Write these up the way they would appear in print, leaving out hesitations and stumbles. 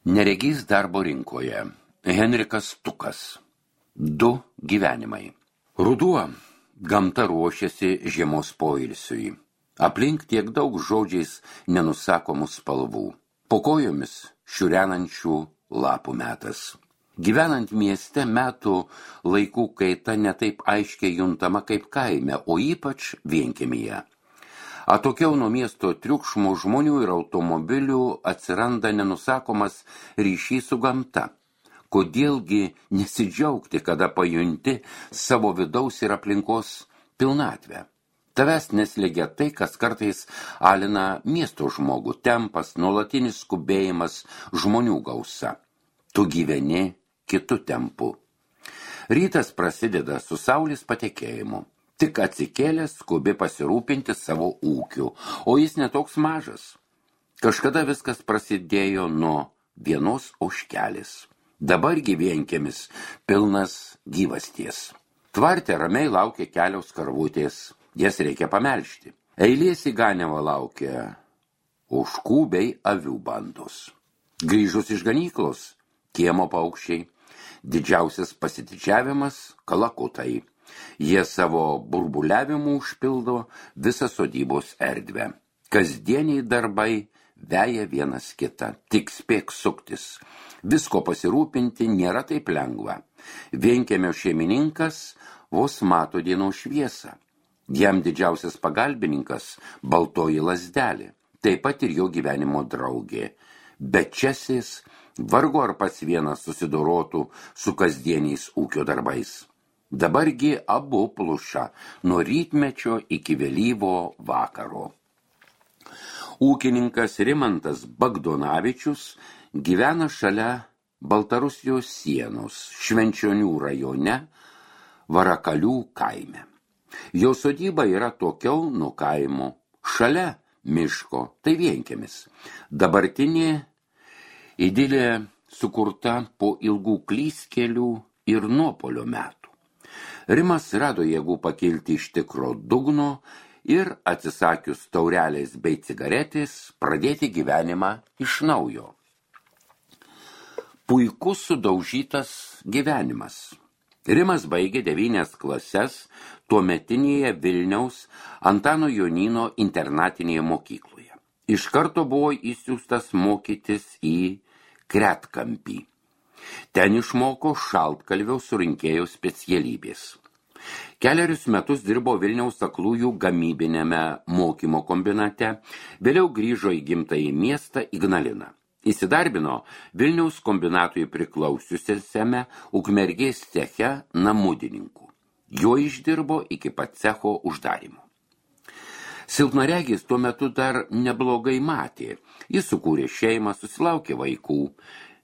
Neregys darbo rinkoje. Henrikas Tukas. 2 gyvenimai. Ruduo. Gamta ruošiasi žiemos poilsiui. Aplink tiek daug žodžiais nenusakomų spalvų. Po kojomis šiurenančių lapų metas. Gyvenant mieste metų laikų kaita netaip aiškiai juntama kaip kaime, o ypač vienkiemyje. Atokiau nuo miesto triukšmo žmonių ir automobilių atsiranda nenusakomas ryšys su gamta. Kodėlgi nesidžiaugti, kada pajunti savo vidaus ir aplinkos pilnatvę? Tavęs neslėgia tai, kas kartais alina miesto žmogų, tempas, nuolatinis skubėjimas, žmonių gausa. Tu gyveni kitu tempu. Rytas prasideda su saulės patekėjimu. Tik atsikėlęs skubi pasirūpinti savo ūkiu, o jis netoks mažas. Kažkada viskas prasidėjo nuo vienos ožkelės. Dabar vienkiemis pilnas gyvasties. Tvarte ramiai laukia kelios karvutės, jas reikia pamelžti. Eilės į ganiavą laukia ožkų bei avių bandos. Grįžus iš ganyklos, kiemo paukščiai, didžiausias pasididžiavimas kalakutai. Jie savo burbuliavimu užpildo visą sodybos erdvę. Kasdieniai darbai veja vienas kitą, tik spėk suktis. Visko pasirūpinti nėra taip lengva. Vienkiemio šeimininkas vos mato dienos šviesą. Jam didžiausias pagalbininkas baltoji lazdelė, taip pat ir jo gyvenimo draugė. Bet čiasis vargu ar pats vienas susidorotų su kasdieniais ūkio darbais. Dabargi abu pluša nuo rytmečio iki vėlyvo vakaro. Ūkininkas Rimantas Bagdonavičius gyvena šalia Baltarusijos sienos, Švenčionių rajone, Varakalių kaime. Jo sodyba yra tokiau nuo kaimo, šalia miško, tai vienkiemis. Dabartinė idilė sukurta po ilgų klystkelių ir nuopuolio metų. Rimas rado jėgų pakilti iš tikro dugno ir atsisakius taurelės bei cigaretės pradėti gyvenimą iš naujo. Puikus sudaužytas gyvenimas. Rimas baigė 9 klases tuometinėje Vilniaus Antano Jonyno internatinėje mokykloje. Iš karto buvo įsiųstas mokytis į Kretkampį. Ten išmoko šaltkalvio surinkėjo specialybės. Kelerius metus dirbo Vilniaus aklųjų gamybinėme mokymo kombinate, vėliau grįžo į gimtąjį miestą Ignaliną. Įsidarbino Vilniaus kombinatui priklausiusiame Ukmergės ceche namudininku. Jo išdirbo iki pat cecho uždarymo. Silpnaregis tuo metu dar neblogai matė. Jis sukūrė šeimą, susilaukė vaikų.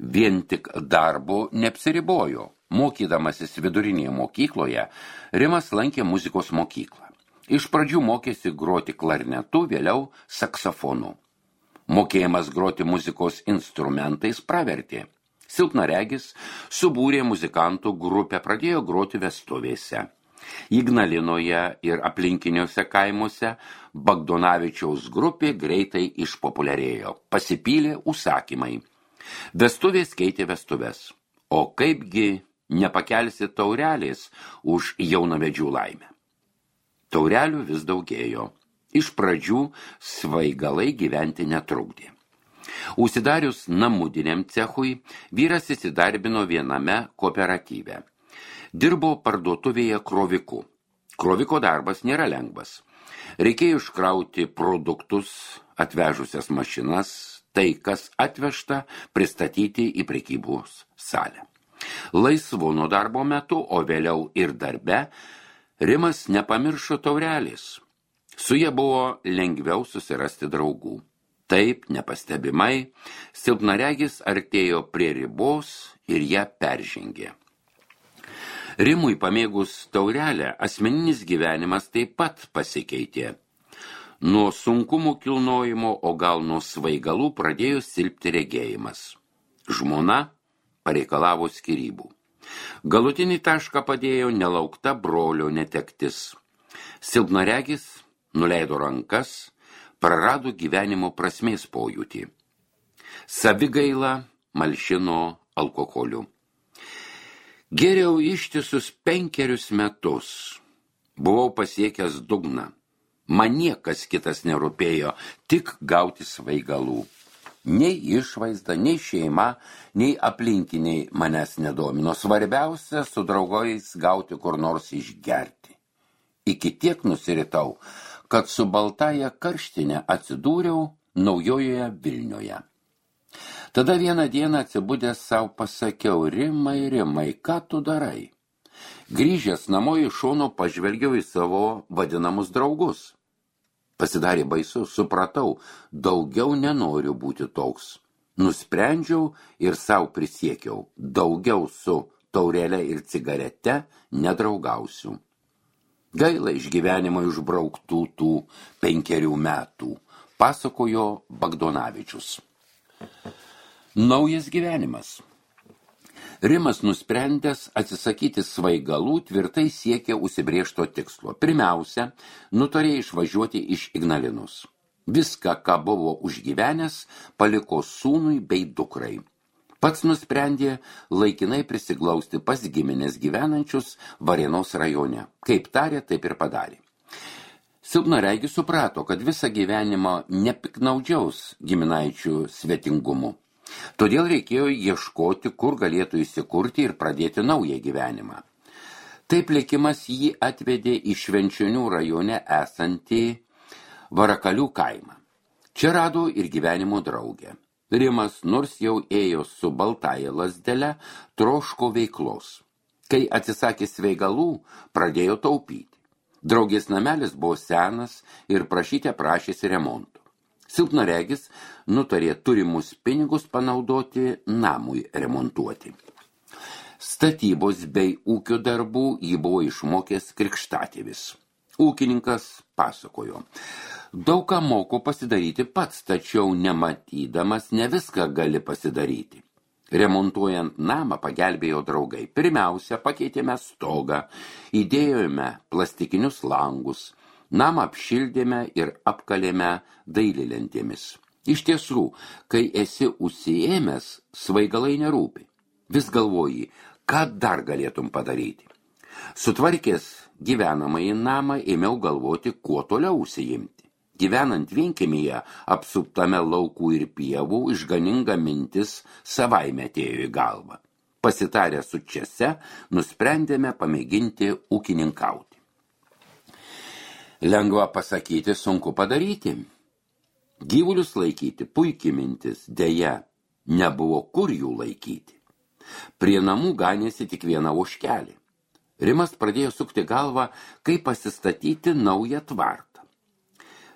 Vien tik darbo neapsiribojo. Mokydamasis vidurinėje mokykloje, Rimas lankė muzikos mokyklą. Iš pradžių mokėsi groti klarnetu, vėliau saksofonu. Mokėjimas groti muzikos instrumentais pravertė. Silpnaregis subūrė muzikantų grupę, pradėjo groti vestuvėse. Ignalinoje ir aplinkiniuose kaimuose Bagdonavičiaus grupė greitai išpopuliarėjo. Pasipylė užsakymai. Vestuvės keitė vestuves. O kaipgi nepakelsi taurelės už jaunavedžių laimę? Taurelių vis daugėjo. Iš pradžių svaigalai gyventi netrukdė. Užsidarius namudiniam cechui, vyras įsidarbino viename kooperatyve. Dirbo parduotuvėje kroviku. Kroviko darbas nėra lengvas. Reikėjo iškrauti produktus, atvežusias mašinas, tai, kas atvežta, pristatyti į prekybos salę. Laisvu nuo darbo metu, o vėliau ir darbe, Rimas nepamiršo taurelės. Su ja buvo lengviau susirasti draugų. Taip, nepastebimai, silpnaregis artėjo prie ribos ir ją peržengė. Rimui pamėgus taurelę, asmeninis gyvenimas taip pat pasikeitė. Nuo sunkumų kilnojimo, o gal nuo svaigalų pradėjo silpti regėjimas. Žmona pareikalavo skyrybų. Galutinį tašką padėjo nelaukta brolio netektis. Silpnaregis nuleido rankas, prarado gyvenimo prasmės pojūtį. Savigaila malšino alkoholiu. Geriau ištisus 5 metus. Buvau pasiekęs dugną. Man niekas kitas nerūpėjo, tik gauti svaigalų. Nei išvaizda, nei šeima, nei aplinkiniai manęs nedomino. Svarbiausia su draugais gauti kur nors išgerti. Iki tiek nusiritau, kad su baltaja karštinė atsidūriau Naujojoje Vilnioje. Tada vieną dieną atsibudęs savo pasakiau, Rimai, ką tu darai? Grįžęs namo iš šono pažvelgiau į savo vadinamus draugus. Pasidarė baisu, supratau, daugiau nenoriu būti toks. Nusprendžiau ir savo prisiekiau, daugiau su taurelė ir cigarete nedraugausiu. Gaila iš gyvenimo išbrauktų tų 5 metų, pasakojo Bagdonavičius. Naujas gyvenimas. Rimas nusprendęs atsisakyti svaigalų tvirtai siekė užsibrėžto tikslo. Pirmiausia, nutarė išvažiuoti iš Ignalinos. Viską, ką buvo užgyvenęs, paliko sūnui bei dukrai. Pats nusprendė laikinai prisiglausti pas giminės gyvenančius Varėnos rajone. Kaip tarė, taip ir padarė. Silpnaregis suprato, kad visą gyvenimą nepiknaudžiaus giminaičių svetingumu. Todėl reikėjo ieškoti, kur galėtų įsikurti ir pradėti naują gyvenimą. Taip likimas jį atvedė į Švenčionių rajone esantį Varakalių kaimą. Čia rado ir gyvenimo draugę. Rimas, nors jau ėjo su baltaja lazdele, troško veiklos. Kai atsisakė svaigalų, pradėjo taupyti. Draugės namelis buvo senas ir prašėsi remonto. Silpnaregis nutarė turimus pinigus panaudoti namui remontuoti. Statybos bei ūkio darbų jį buvo išmokęs krikštatėvis. Ūkininkas pasakojo. Daug ką moku pasidaryti pats, tačiau nematydamas ne viską gali pasidaryti. Remontuojant namą pagelbėjo draugai. Pirmiausia, pakeitėme stogą, įdėjome plastikinius langus, namą apšildėme ir apkalėme dailylentėmis. Iš tiesų, kai esi užsiėmęs, svaigalai nerūpi. Vis galvoji, ką dar galėtum padaryti. Sutvarkęs gyvenamąjį namą, ėmiau galvoti, kuo toliau užsiimti. Gyvenant vienkiemyje, apsuptame laukų ir pievų, išganinga mintis savaime atėjo į galvą. Pasitarę su Čese, nusprendėme pamėginti ūkininkauti. Lengva pasakyti, sunku padaryti. Gyvulius laikyti puikiai mintis, deja, nebuvo kur jų laikyti. Prie namų ganėsi tik viena ožkelė. Rimas pradėjo sukti galvą, kaip pasistatyti naują tvartą.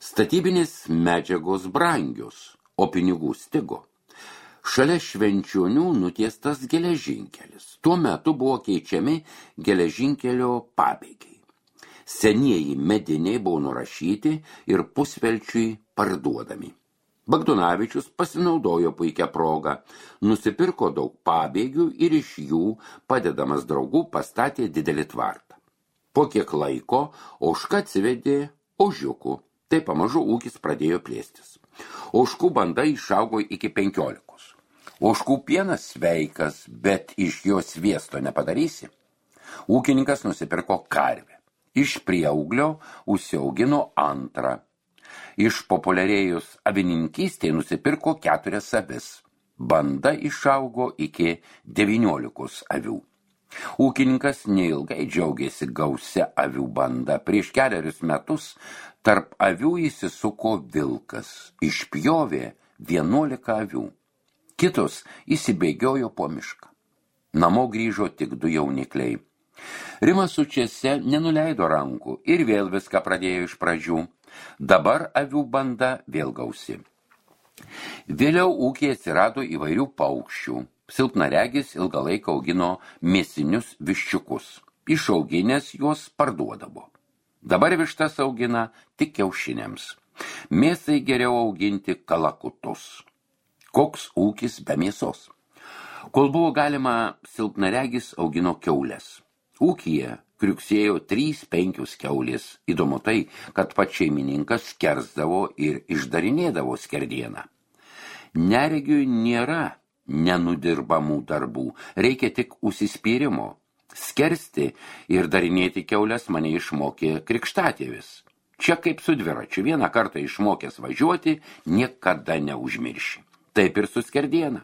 Statybinės medžiagos brangios, o pinigų stigo. Šalia Švenčionių nutiestas geležinkelis. Tuo metu buvo keičiami geležinkelio pabėgiai. Senieji mediniai buvo nurašyti ir pusvelčiui parduodami. Bagdonavičius pasinaudojo puikią progą, nusipirko daug pabėgių ir iš jų, padedamas draugų, pastatė didelį tvartą. Po kiek laiko ožka atsivedė ožiukų, tai pamažu ūkis pradėjo plėstis. Ožkų banda išaugo iki 15. Ožkų pienas sveikas, bet iš jo sviesto nepadarysi. Ūkininkas nusipirko karvę. Iš prieauglio užsiaugino antrą. Išpopuliarėjus avininkystėje nusipirko 4 avis. Banda išaugo iki 19 avių. Ūkininkas neilgai džiaugėsi gausia avių banda. Prieš 4 metus tarp avių įsisuko vilkas. Išpjovė 11 avių. Kitos įsibėgiojo po mišką. Namo grįžo tik 2 jaunikliai. Rimas su Čese nenuleido rankų ir vėl viską pradėjo iš pradžių. Dabar avių banda vėl gausi. Vėliau ūkyje atsirado įvairių paukščių. Silpnaregis ilgą laiką augino mėsinius viščiukus. Išauginęs juos parduodavo. Dabar vištas augina tik kiaušiniams. Mėsai geriau auginti kalakutus. Koks ūkis be mėsos? Kol buvo galima, silpnaregis augino kiaules. Ūkyje kriuksėjo 3-5 kiaulės. Įdomu tai, kad pats šeimininkas skersdavo ir išdarinėdavo skerdieną. Neregiui nėra nenudirbamų darbų, reikia tik užsispyrimo. Skersti ir darinėti kiaules mane išmokė krikštatėvis. Čia kaip su dviračiu, vieną kartą išmokęs važiuoti, niekada neužmirši. Taip ir su skerdiena.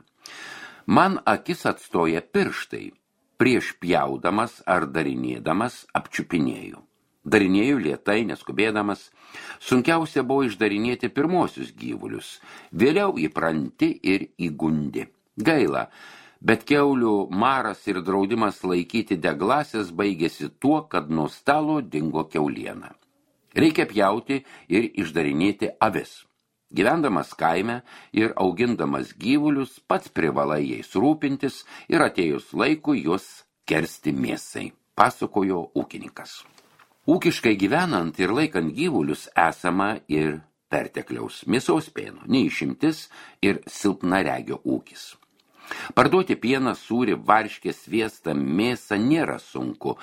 Man akis atstoja pirštai. Prieš pjaudamas ar darinėdamas apčiupinėjau. Darinėjau lėtai, neskubėdamas. Sunkiausia buvo išdarinėti pirmosius gyvulius. Vėliau įpranti ir įgundi. Gaila, bet kiaulių maras ir draudimas laikyti deglases baigėsi tuo, kad nuo stalo dingo kiauliena. Reikia pjauti ir išdarinėti avis. Gyvendamas kaime ir augindamas gyvulius, pats privalai jais rūpintis ir atėjus laikui juos kersti mėsai, pasakojo ūkininkas. Ūkiškai gyvenant ir laikant gyvulius esama ir pertekliaus mėsos pieno, neišimtis ir silpnaregio ūkis. Parduoti pieną, sūrį, varškę, sviestą, mėsą nėra sunku,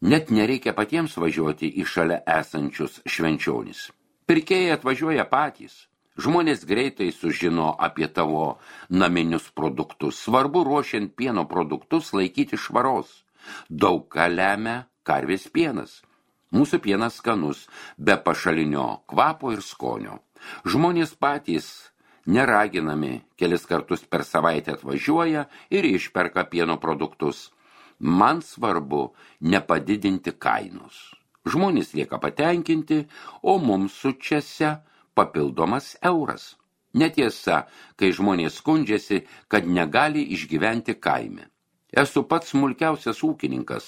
net nereikia patiems važiuoti į šalia esančius švenčionis. Pirkėjai atvažiuoja patys. Žmonės greitai sužino apie tavo naminius produktus. Svarbu ruošiant pieno produktus laikyti švaros. Daug ką lemia karvės pienas. Mūsų pienas skanus, be pašalinio kvapo ir skonio. Žmonės patys, neraginami, kelis kartus per savaitę atvažiuoja ir išperka pieno produktus. Man svarbu nepadidinti kainos. Žmonės lieka patenkinti, o mums sučiasi papildomas euras. Netiesa, kai žmonės skundžiasi, kad negali išgyventi kaime. Esu pats smulkiausias ūkininkas.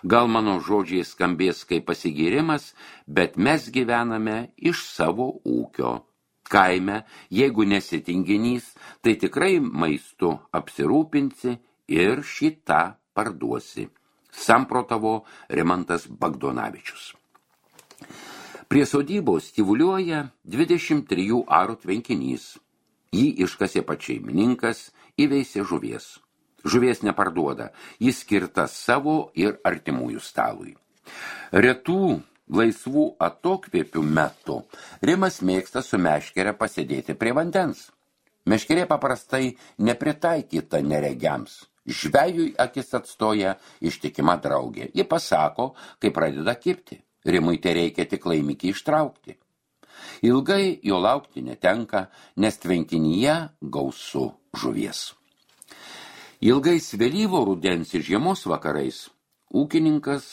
Gal mano žodžiai skambės kaip pasigirimas, bet mes gyvename iš savo ūkio. Kaime, jeigu nesi tinginys, tai tikrai maistu apsirūpinsi ir šitą parduosi. Samprotavo Rimantas Bagdonavičius. Prie sodybos tyvuliuoja 23 arų tvenkinys. Jį iškasė pats šeimininkas, įveisė žuvies. Žuvies neparduoda, jis skirta savo ir artimųjų stalui. Retų laisvų atokvėpių metu Rimas mėgsta su meškere pasėdėti prie vandens. Meškerė paprastai nepritaikyta neregiams. Žvejui akis atstoja ištikima draugė. Ji pasako, kai pradeda kibti. Rimui tai reikia tik laimikį ištraukti. Ilgai jo laukti netenka, nes tvenkinyje gausu žuvies. Ilgais vėlyvo rudens ir žiemos vakarais ūkininkas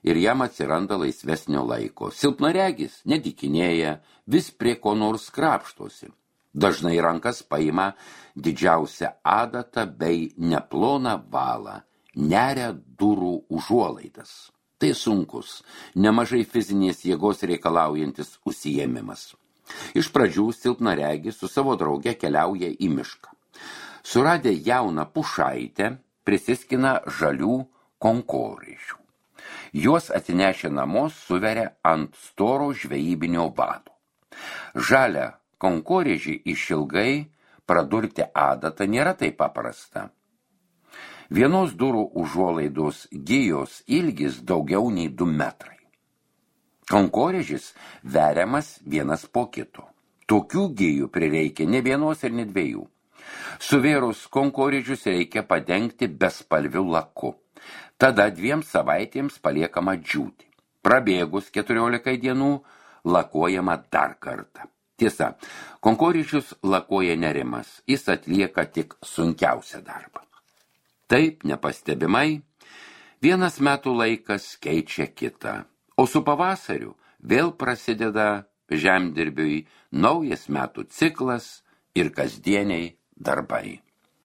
ir jam atsiranda laisvesnio laiko. Silpnaregis nedykinėja, vis prie ko nors krapštosi. Dažnai rankas paima didžiausią adatą bei neploną valą, neria durų užuolaidas. Tai sunkus, nemažai fizinės jėgos reikalaujantis užsiėmimas. Iš pradžių silpnaregis su savo drauge keliauja į mišką. Suradę jauną pušaitę, prisiskina žalių konkorėžių. Juos atsinešę namo suveria ant storo žvejybinio vado. Žalią konkorėžį išilgai pradurti adatą nėra taip paprasta. Vienos durų užuolaidos gijos ilgis daugiau nei 2 metrai. Konkorėžis veriamas vienas po kito. Tokių gijų prireikia ne vienos ir ne 2. Suvėrus konkorėžius reikia padengti bespalviu laku. Tada 2 savaitėms paliekama džiūti. Prabėgus 14 dienų lakuojama dar kartą. Tiesa, konkorėžius lakuoja ne Rimas, jis atlieka tik sunkiausią darbą. Taip, nepastebimai, vienas metų laikas keičia kitą, o su pavasariu vėl prasideda žemdirbiui naujas metų ciklas ir kasdieniai darbai.